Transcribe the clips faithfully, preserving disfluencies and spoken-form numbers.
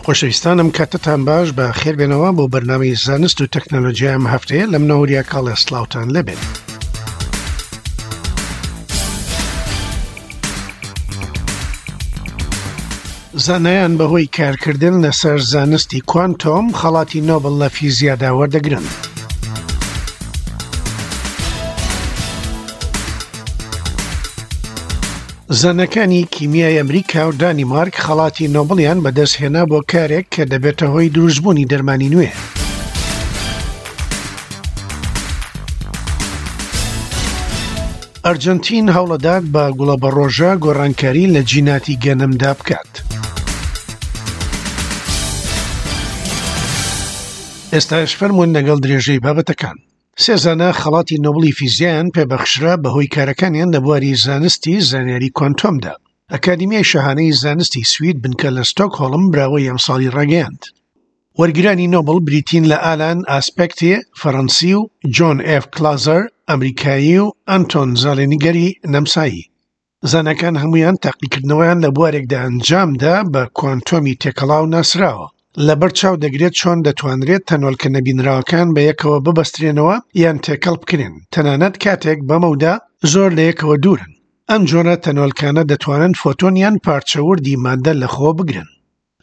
خۆشەویستانم کاتتان باش، بە خێربێنەوە بۆ بەرنامەی زانست و تەکنەلۆژیای ئەم هەفتەیە. لە منەوە وریا کاڵێ، سڵاوتان لێبێت. زانایان بەهۆی کارکردن لەسەر زانستی کوانتۆم خەڵاتی نۆبڵ لە فیزیادا وەردەگرن. زاناکانی کیمیای ئەمریکا و دانیمارک خەڵاتی نۆبڵیان بەدەستهێنا بۆ کارێک کە دەبێتە هۆی دروستبوونی دەرمانی نوێ. ئەرجەنتین هەوڵەدات بە گوڵە بەڕۆژە گۆڕانکاری لە جیناتی گەنمدا بکات. ئێستاش فەرمونون لەگەڵ درێژەی بابەتەکان. سێ زانا خەڵاتی نۆبڵی فیزیایان پێبەخشرا بەهۆی کارەکانیان لە بواری زانستی زانیاری کوانتۆمدا. ئەکادیمیای شاهانەی زانستی سوید بنکە لە ستۆکهۆڵم براوەی ئەمساڵی ڕاگەیاند. وەرگرانی نۆبڵ بریتین لە ئالان ئاسپێکتی فەڕەنسی و جۆن ئێف کلازەر ئەمریکایی و ئەنتۆن زالێنیگەری نەمسایی. زاناکان هەمویان تاقیکردنەوەیان لە بوارێکدا ئەنجامدا بە کوانتۆمی تێکەڵاو ناسراوە. لەبەر چاو دەگرێت چۆن دەتوانرێت تەنۆلکە نەبینراوەکان بە یەکەوە ببەسترێنەوە یان تێکەڵ بکرێن، تەنانەت کاتێک بەمەودا زۆر لە یەکەوە دوورن. ئەم جۆرە تەنۆلکانە دەتوانن فۆتۆن یان پارچە وردی مادە لەخۆ بگرن.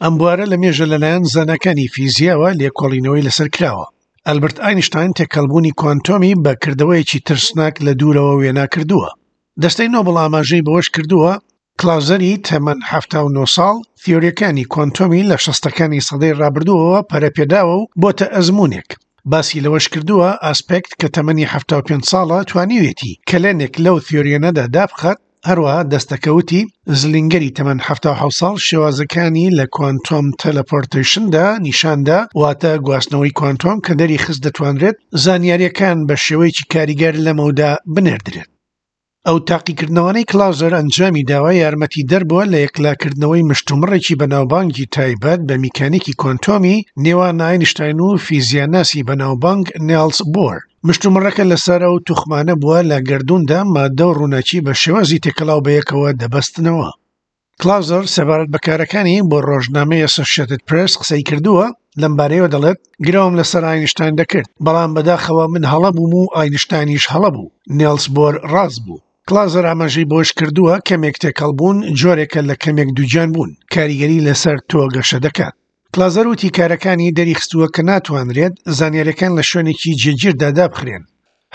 ئەم بوارە لە مێژە لەلایەن زاناکانی فیزیاوە لێکۆڵینەوەی لەسەر کراوە. ئەلبرت ئاینشتاین تێکەڵبوونی کوانتۆمی بە کردەوەیەکی ترسناک لە دوورەوە وێنا کردووە. دەستەی نۆبڵ ئاماژەی بەوەش کردووە کلازەری تەمەن حەفتا و نۆ ساڵ تیۆریەکانی کوانتۆمی لە شەستەکانی سەدەی ڕابردووەوە پەرەپێداوە و بۆتە ئەزمونێک. باسی لەوەش کردووە ئاسپێکت کە تەمەنی حەفتا و پێنج ساڵە توانیوێتی کەلێنێک لەو تیۆریەنەدا دابخات. هەروەها دەستەکەوتی زلینگەری تەمەن حەفتا و حەوت ساڵ شێوازەکانی لە کوانتۆم تەلەپۆرتەیشندا نیشاندا، واتە گواستنەوەی کوانتۆم کە دەری خست دەتوانرێت زانیاریەکان بە شێوەیەکی کاریگەر لەمەودا بنێردرێت. ئەو تاقیکردنەوانەی کلازەر ئەنجامی داوە یارمەتی دەربووە لە یەکلاکردنەوەی مشتومڕێکی بەناوبانگی تایبەت بە میکانیکی کوانتۆمی نێوان ئاینشتاین و فیزیاناسی بەناوبانگ نێلس بۆر. مشتومڕەکە لەسەر ئەو توخمانە بووە لە گەردووندا مادە و ڕووناکی بە شێوازی تێکەڵاو بەیەکەوە دەبەستنەوە. کلازەر سەبارەت بە کارەکانی بۆ ڕۆژنامەی ئەسۆشیەتد پرێس قسەی کردووە. لەم بارەیەوە دەڵێت گرەوم لەسەر ئاینشتاین دەکرد، بەڵام بەداخەوە من هەڵە بووم و ئاینشتاینیش هەڵە بوو، نێلس بۆر ڕاست بوو. کلازەر ئاماژەی بۆش کردووە کەمێک تێکەڵ بوون جۆرێکە لە کەمێک دووگیان بوون، کاریگەری لەسەر تۆ گەشە دەکات. کلازەر وتی کارەکانی دەریخستووە کە ناتوانرێت زانیاریەکان لە شوێنێکی جێگیردا دابخرێن،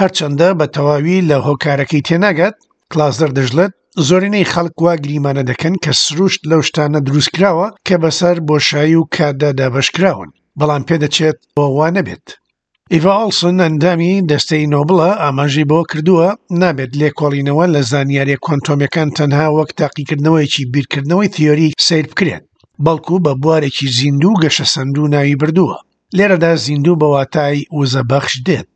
هەرچەندە بە تەواوی لە هۆکارەکەی تێناگات. کلازەر دەژڵێت زۆرینەی خەڵک وا گریمانە دەکەن کە سروشت لەو شتانە دروستکراوە کە بەسەر بۆشایی و کاتدا دابەشکراون، بەڵام پێدەچێت بۆ وا نەبێت. ئیڤا ئۆڵسن ئەندامی دەستەی نۆبڵە ئاماژەی بەوە کردووە نابێت لێکۆڵینەوە لە زانیاریە کوانتۆمیەکان تەنها وەک تاقیکردنەوەیەکی بیرکردنەوەی تیۆری سەیر بکرێت، بەڵکو بە بوارێکی زیندوو گەشەسەندوو ناوی بردووە. لێرەدا زیندوو بە واتای وزە بەخش دێت.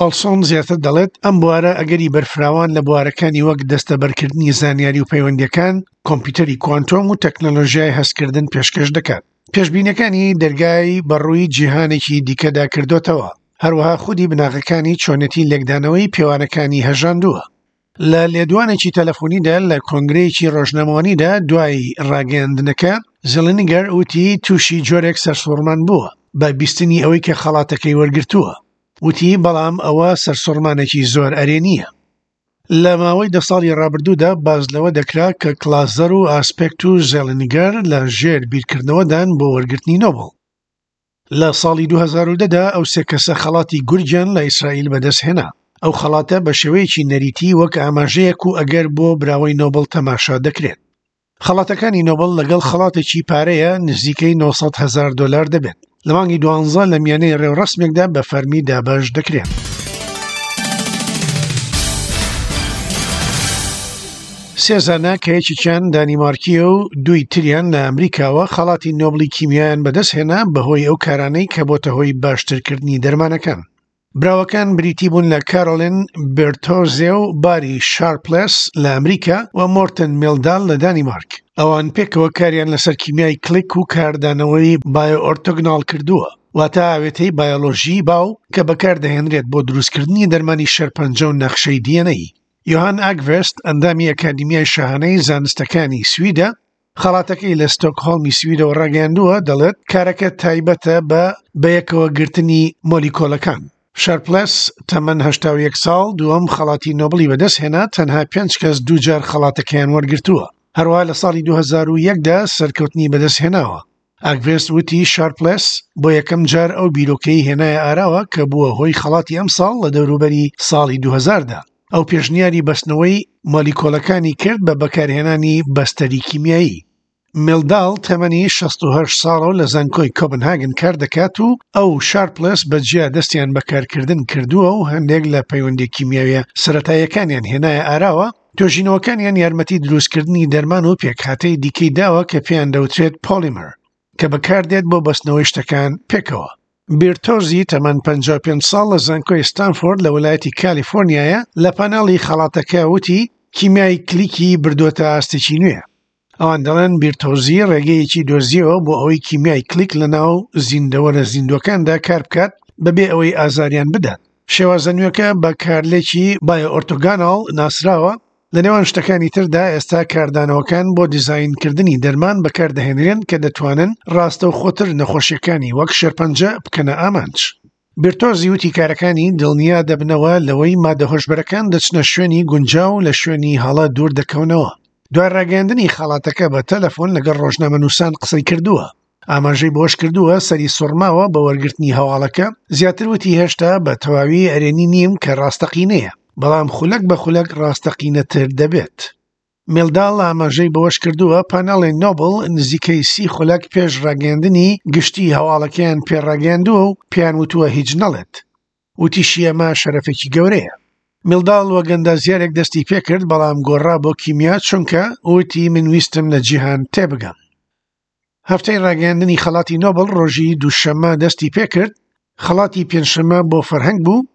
ئۆڵسۆن زیاتر دەڵێت ئەم بوارە ئەگەری بەرفراوان لە بوارەکانی وەک دەستەبەرکردنی زانیاری و پەیوەندیەکان، کۆمپیوتەری کوانتۆم و تەکنەلۆژیای هەستکردن پێشکەش دەکات. پێشبینەکانی دەرگای بەڕووی جیهانێکی دیکەدا کردوتەوە، هەروەها خودی بناغەکانی چۆنێتی لێکدانەوەی پێوانەکانی هەژاندووە. لە لێدوانێکی تەلەفۆنیدا لە کۆنگرەیەکی ڕۆژنامەوانیدا دوای ڕاگەیاندنەکە زلینگەر وتی تووشی جۆرێک سەرسوڕمان بووە بە بیستنی ئەوەی کە خەڵاتەکەی وەرگرتووە. وتی بەڵام ئەوە سەرسوڕمانێکی زۆر ئەرێنییە. لە ماوەی دە ساڵی ڕابردوودا باز لەوە دەکرا کە کلازەر و ئاسپێکت و زێلینگەر لە ژێر بیرکردنەوەدان بۆ وەرگرتنی نۆبڵ. لە ساڵی دوو هەزار و دە دا ئەو سێ کەسە خەڵاتی گورجیان لە ئیسرائیل بەدەستهێنا. ئەو خەڵاتە بە شێوەیەکی نەریتی وەک ئاماژەیەک و ئەگەر بۆ براوەی نۆبڵ تەماشا دەکرێت. خەڵاتەکانی نۆبڵ لەگەڵ خەڵاتێکی پارەیە نزیکەی نۆ سەد هەزار دۆلار دەبێت. لە مانگی دوانزە لە میانەی ڕێوڕەسمێکدا بە فەرمی دابەش دەکرێن. سێ زانا کە یەکێکیان دانیمارکیە و دووی تریان لە ئەمریکاوە خەڵاتی نۆبڵی کیمیایان بەدەستهێنا بەهۆی ئەو کارانەی کە بۆتە هۆی باشترکردنی دەرمانەکان. براوەکان بریتی بوون لە کارۆلین بێرتۆزێ و باری شارپلس لە ئەمریکا و مۆرتن میلدال لە دانیمارک. ئەوان پێکەوە کاریان لەسەر کیمیای کلیک و کاردانەوەی بایۆئۆرتۆگناڵ کردووە، واتە ئاوێتەی بایۆلۆژی باو کە بەکاردەهێنرێت بۆ دروستکردنی دەرمانی شێرپەنجە و نەخشەی دی ئێن ئەی. یۆهان ئاگڤێست ئەندامی ئەکادیمیای شاهانەی زانستەکانی سویدە خەڵاتەکەی لە ستۆکهۆڵمی سویدەوە ڕاگەیاندووە، دەڵێت کارەکە تایبەتە بە بەیەکەوەگرتنی مۆلیکۆلەکان. شارپلس تەمەن هەشتا و یەک ساڵ دووەم خەڵاتی نۆبڵی بەدەستهێنا، تەنها پێنج کەس دووجار خەڵاتەکەیان وەرگرتووە. هەروەها لە ساڵی دوو هەزار و یەک دا سەرکەوتنی بەدەستهێناوە. ئاگڤێست وتی شارپلس بۆ یەکەم جار ئەو بیرۆکەی هێنایە ئاراوە کە بووە هۆی خەڵاتی ئەمساڵ لە دەوروبەری ساڵی دوو هەزار دا. ئەو پێشنیاری بەستنەوەی مۆلیکۆلەکانی کرد بە بەکارهێنانی بەستەری کیمیایی. میلداڵ تەمەنی شەست و هەشت ساڵە و لە زانکۆی کۆپنهاگن کار دەکات و ئەو شارپلس بەجیا دەستیان بەکارکردن کردووە و هەندێک لە پەیوەندی کیمیاویە سەتاییەکانیان هێنایە ئاراوە. توێژینەوەکانیان یارمەتی دروستکردنی دەرمان و پێکهاتەی دیکەی داوە کە پێیان دەوترێت پۆلیمەر، کە بەکاردێت بۆ بەستنەوەی شتەکان پێکەوە. بیرتۆزی تەمەن پەنجا و پێنج ساڵ لە زانکۆی ستانفۆرد لە ویلایەتی کالیفۆرنیایە لە پانێڵی خەڵاتەکە وتی کیمیای کلیکی بردووەتە ئاستێکی نوێ. ئەوان دەڵێن بیرتۆزی ڕێگەیەکی دۆزیەوە بۆ ئەوەی کیمیای کلیک لە ناو زیندەوەرە زیندوەکاندا کار بکات بەبێ ئەوەی ئازاریان بدات. شێوازە نوێکە بە کارلێکی بایۆئۆرتۆگاناڵ ناسراوە. لە نێوان شتەکانی تردا ئێستا کاردانەوەکان بۆ دیزاینکردنی دەرمان بەکاردەهێنرێن کە دەتوانن ڕاستەوخۆتر نەخۆشیەکانی وەک شێرپەنجە بکەنە ئامانج. بیرتۆزی وتی کارەکانی دڵنیا دەبنەوە لەوەی مادە هۆشبەرەکان دەچنە شوێنی گونجاو لە شوێنی هەڵە دوور دەکەونەوە. دوای ڕاگەیاندنی خەڵاتەکە بە تەلەفۆن لەگەڵ ڕۆژنامەنووسان قسەی کردووە. ئاماژەی بۆش کردووە سەری سوڕماوە بە وەرگرتنی هەواڵەکە. زیاتر وتی هێشتا بە تەواوی ئەرێنی نیم کە ڕاستەقینەیە، بەڵام خولەک بە خولەک ڕاستەقینەتر دەبێت. میلداڵ ئاماژەی بەوەش کردووە پانێڵی نۆبڵ نزیکەی سی خولەک پێش ڕاگەیاندنی گشتی هەواڵەکەیان پێڕاگەیاندووە و پێیان وتووە هیچ نەڵێت. وتیشی ئەمە شەرەفێکی گەورەیە. میلداڵ وەک ئەندازیارێک دەستی پێکرد، بەڵام گۆڕا بۆ کیمیا چونکە وتی من ویستم لە جیهان تێبگەم. هەفتەی ڕاگەیاندنی خەڵاتی نۆبڵ ڕۆژی دووشەممە دەستی پێکرد. خەڵاتی پێنجشەممە بۆ فەرهەنگ بوو،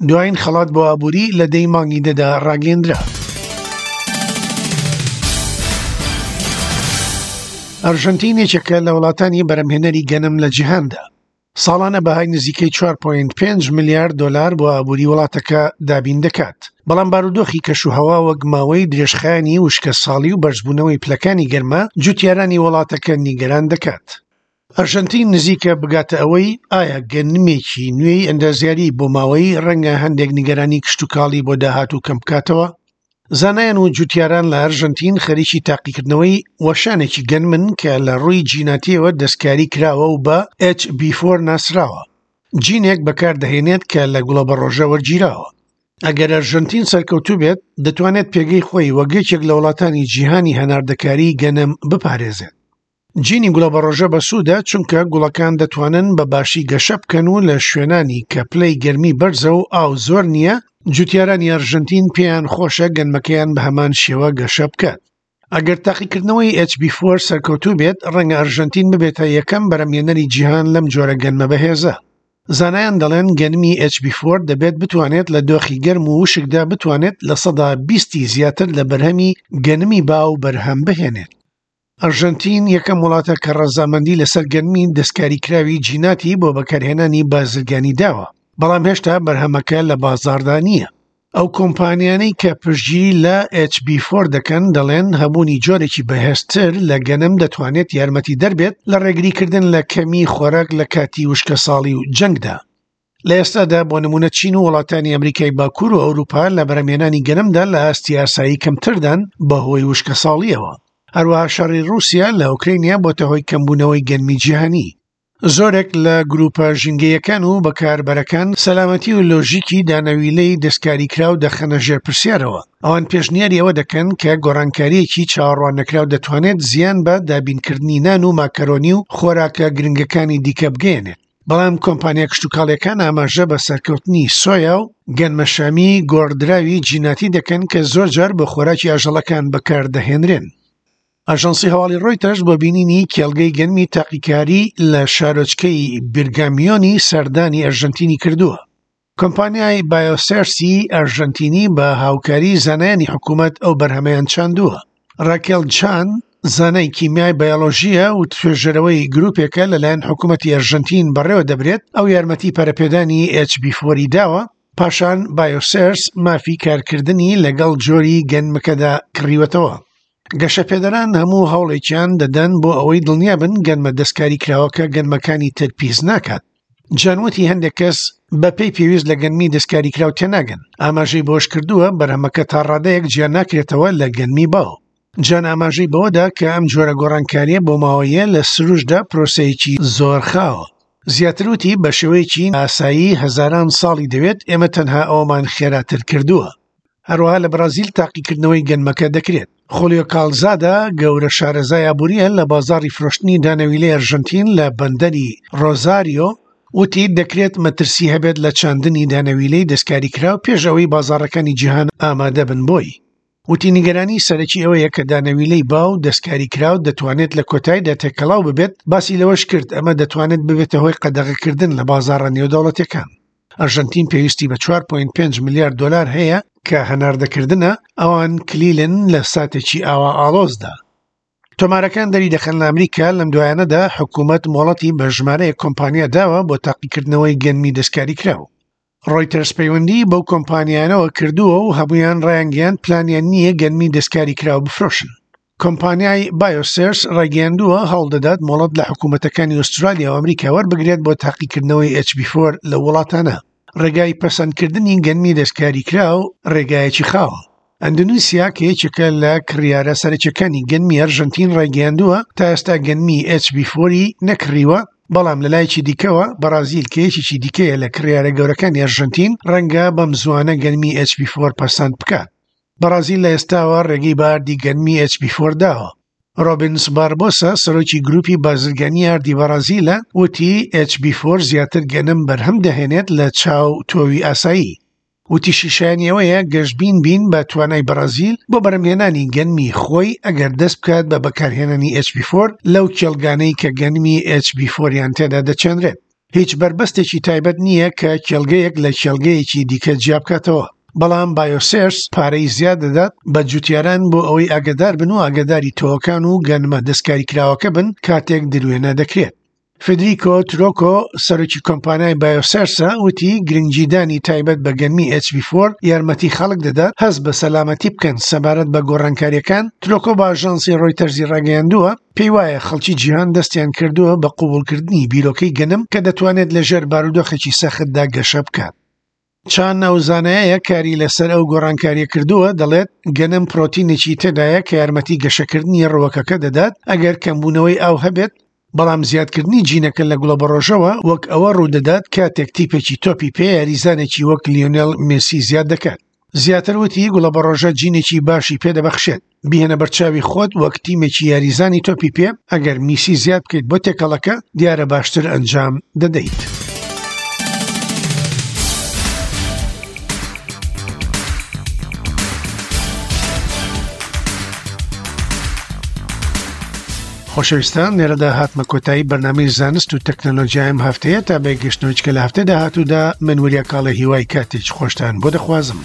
دوایین خەڵات بۆ ئابووری لە دەی مانگی دەدا ڕاگەیەندرا. ئەرژەنتین یەکێکە لە وڵاتانی بەرەمهێنەری گەنم لە جیهاندا. ساڵانە بەهای نزیکەی چوار پۆینت پێنج ملیارد دلار بۆ ئابووری وڵاتەکە دابین دەکات، بەڵام بارودۆخی کەشوهەوا وەک ماوەی درێژخایەنی وشکە ساڵی و بەرزبوونەوەی پلەکانی گەرما جوتیارانی وڵاتەکە نیگەران دەکات. ئەرژەنتین نزیکە بگاتە ئەوەی ئایا گەنمێکی نوێی ئەندازیاری بۆ ماوەی ڕەنگە هەندێک نیگەرانی کشتتوکاڵی بۆ داهاتوو کەم بکاتەوە. زانایان و جوتیاران لە ئەرژەنتین خەریکی تاقیکردنەوەی وەشانێکی گەنمن کە لە ڕووی جیناتیەوە دەستکاری کراوە و بە ئێچ بی فۆر ناسراوە. جینێک بەکاردەهێنێت کە لە گوڵەبەڕۆژە وەرگیراوە. ئەگەر ئەرژەنتین سەرکەوتوو بێت، دەتوانێت پێگەی خۆی وەک یەکێک لە وڵاتانی جیهانی هەناردەکاری گەنم بپارێزێت. جینی گوڵەبەڕۆژە بەسوودە چونکە گوڵەکان دەتوانن بە باشی گەشە بکەن و لە شوێنانی کە پلەی گەرمی بەرزە و ئاو زۆر نییە، جوتیارانی ئەرژەنتین پێیان خۆشە گەنمەکەیان بە هەمان شێوە گەشە بکات. ئەگەر تاقیکردنەوەی ئێچ بی فۆر سەرکەوتوو بێت، ڕەنگە ئەرژەنتین ببێتە یەکەم بەرەمهێنەری جیهان لەم جۆرە گەنمە بەهێزە. زانایان دەڵێن گەنمی ئێچ بی فۆر دەبێت بتوانێت لە دۆخی گەرم و وشکدا بتوانێت لە سەدا بیستی زیاتر لە بەرهەمی گەنمی باو بەرهەم بهێنێت. ئەرژەنتین یەکەم وڵاتە کە ڕەزامەندی لەسەر گەنمی دەستکاریکراوی جیناتی بۆ بەکارهێنانی بازرگانی داوە، بەڵام هێشتا بەرهەمەکە لە بازاڕدا نییە. ئەو کۆمپانیانەی کە پشتگیری لە ئێچ بی فۆر دەکەن دەڵێن هەبوونی جۆرێکی بەهێزتر لە گەنم دەتوانێت یارمەتی دەربێت لە ڕێگریکردن لە کەمی خۆراک لە کاتی وشکە ساڵی و جەنگدا. لە ئێستادا بۆ نمونە چین و وڵاتانی ئەمریکای باکوور و ئەوروپا لە بەرەمهێنانی گەنمدا لە ئاستی ئاسایی کەمتردان بەهۆی وشکە ساڵیەوە. هەروەها شەڕی ڕووسیا لە ئۆکرینیا بۆتە هۆی کەمبوونەوەی گەنمی جیهانی. زۆرێک لە گروپە ژینگەیەکان و بەکاربەرەکان سەلامەتی و لۆژیکی دانەویلەی دەستکاریکراو دەخەنە ژێر پرسیارەوە. ئەوان پێشنیاری ئەوە دەکەن کە گۆڕانکاریەکی چاوەڕواننەکراو دەتوانێت زیان بە دابینکردنی نان و ماکەرۆنی و خۆراکە گرنگەکانی دیکە بگەیەنێت. بەڵام کۆمپانیا کشتتوکاڵیەکان ئاماژە بە سەرکەوتنی سۆیا و گەنمەشامی گۆڕدراوی جیناتی دەکەن کە زۆر جار بە خۆراکی ئاژەڵەکان بەکاردەهێنرێن. ئاژانسی هەواڵی ڕۆیتەرز بۆ بینینی کێڵگەی گەنمی تاقیکاری لە شارۆچکەی بیرگامیۆنی سەردانی ئەرژەنتینی کردووە. کۆمپانیای بایۆسێرسی ئەرژەنتینی بە هاوکاری زانایانی حکوومەت ئەو بەرهەمەیان چاندووە. ڕاکێل چان زانای کیمیای بایۆلۆژیە و توێژەرەوەی گروپێکە لەلایەن حکوومەتی ئەرژەنتین بەڕێوە دەبرێت. ئەو یارمەتی پەرەپێدانی ئێچ بی فۆری داوە. پاشان بایۆسێرس مافی کارکردنی لەگەڵ جۆری گەنمەکەدا کڕیوەتەوە. گەشەپێدەران هەموو هەوڵێکیان دەدەن بۆ ئەوەی دڵنیابن گەنمە دەستکاری کراوەکە گەنمەکانی تر پیس ناکات. جان وتی هەندێک کەس بە پێی پێویست لە گەنمی دەستکاری کراو تێناگەن. ئاماژەی بۆش کردووە بەرهەمەکە تا ڕادەیەک جیا ناکرێتەوە لە گەنمی باو. جان ئاماژەی بەوەدا کە ئەم جۆرە گۆڕانکاریە بۆ ماوەیە لە سروشتدا پرۆسەیەکی زۆر خاوە. زیاتر وتی بە شێوەیەکی ئاسایی هەزاران ساڵی دەوێت، ئێمە تەنها ئەومان خێراتر کردووە. هەروەها لە بەرازیل تاقیکردنەوەی گەنمەکە دەکرێت. خۆلیۆ کالزادا گەورە شارەزای ئابووریە لە بازاڕی فرۆشتنی دانەویلەی ئەرژەنتین لە بەندەری ڕۆزاریۆ وتی دەکرێت مەترسی هەبێت لە چاندنی دانەویلەی دەستکاری کراو پێش ئەوەی بازاڕەکانی جیهان ئامادە بن بۆی. وتی نیگەرانی سەرەکی ئەوەیە کە دانەویلەی باو دەستکاری کراو دەتوانێت لە کۆتاییدا تێکەڵاو ببێت. باسی لەوەش کرد ئەمە دەتوانێت ببێتە هۆی قەدەغەکردن لە بازاڕە نێودەوڵەتیەکان. ئەرژەنتین پێویستی بە چوار پۆینت پێنج ملیارد دۆلار هەیە کە هەناردەکردنە، ئەوان کلیلن لە ساتێکی ئاوا ئاڵۆزدا. تۆمارەکان دەری دەخەن لە ئەمریکا لەم دوایانەدا حکوومەت مۆڵەتی بە ژمارەیەک کۆمپانیا داوە بۆ تاقیکردنەوەی گەنمی دەستکاری کراو. ڕۆیتەرز پەیوەندی بەو کۆمپانیانەوە کردووە و هەمویان ڕایانگەیاند پلانیان نییە گەنمی دەستکاری کراو بفرۆشن. کۆمپانیای بایۆسێرس ڕایگەیاندووە هەوڵ دەدات مۆڵەت لە حکوومەتەکانی ئوسترالیا و ئەمریکا وەربگرێت بۆ تاقیکردنەوەی ئێچ بی فۆر لە وڵاتانە. ڕێگای پەسەندکردنی گەنمی دەستکاری کراو ڕێگایەکی خاوە. ئەندونیسیا کە یەکێکە لە کڕیارە سەرەکیەکانی گەنمی ئەرژەنتین ڕایگەیاندووە تا ئێستا گەنمی ئێچ بی فۆری نەکڕیوە، بەڵام لە لایەکی دیکەوە بەرازیل کە یەکێکی دیکەیە لە کڕیارە گەورەکانی ئەرژەنتین ڕەنگە بەم زوانە گەنمی ئێچ بی فۆر پەسەند بکات. بەرازیل لە ئێستاوە ڕێگەی بە ئاردی گەنمی ئێچ بی فۆر داوە. ڕۆبنس باربۆسا سەرۆکی گروپی بازرگانی ئاردی بەرازیلە وتی ئێچ بی فۆر زیاتر گەنم بەرهەم دەهێنێت لە چاو تۆوی ئاسایی. وتیشی شایانی ئەوەیە گەشتبین بین بە توانای بەرازیل بۆ بەرهەمهێنانی گەنمی خۆی ئەگەر دەست بکات بە بەکارهێنانی ئێچ بی فۆر لەو کێڵگانەی کە گەنمی ئێچ بی فۆریان تێدا دەچێنرێت. هیچ بەربەستێکی تایبەت نییە کە کێڵگەیەک لە کێڵگەیەکی دیکە جیا بکاتەوە، بەڵام بایۆسێرس پارەی زیاد دەدات بە جوتیاران بۆ ئەوەی ئاگدار بن و ئاگداری تۆوەکان و گەنمە دەستکاری کراوەکە بن کاتێک دروێنە دەکرێت. فێدریکۆ ترۆکۆ سەرۆکی کۆمپانیای بایۆسێرسە وتی گرنگیدانی تایبەت بە گەنمی ئێچ بی فۆر یارمەتی خەڵک دەدات هەست بە سەلامەتی بکەن سەبارەت بە گۆڕانکاریەکان. ترۆکۆ بە ئاژانسی ڕۆیتەرزی ڕاگەیاندووە پێی وایە خەڵکی جیهان دەستیان کردووە بە قوبوڵکردنی بیرۆکەی گەنم کە دەتوانێت لەژێر بارودۆخێکی سەختدا گەشە بکات. چان ئەو زانایە کاری لەسەر ئەو گۆڕانکاریە کردووە دەڵێت گەنم پرۆتینێکی تێدایە کە یارمەتی گەشەکردنی ڕووەکەکە دەدات ئەگەر کەمبوونەوەی ئاو هەبێت، بەڵام زیادکردنی جینەکە لە گوڵەبەڕۆژەوە وەک ئەوە ڕوودەدات کاتێک تیپێکی تۆپی پێ یاریزانێکی وەک لیۆنێل مێسی زیاد دەکات. زیاتر وتی گوڵەبەڕۆژە جینێکی باشی پێدەبەخشێت. بیهێنە بەرچاوی خۆت وەک تیمێکی یاریزانی تۆپی پێ ئەگەر میسی زیاد بکەیت بۆ تێکەڵەکە دیارە باشتر ئەنجام دەدەیت. خۆشەویستان لێرەدا هاتمە کۆتایی بەرنامەی زانست و تەکنەلۆژیایم هەفتەیە تا بەگەشتنەوەی کە لە هەفتەی داهاتوودا من وریا کاڵێ هیوای کاتێکی خۆشتان بۆ دەخوازم.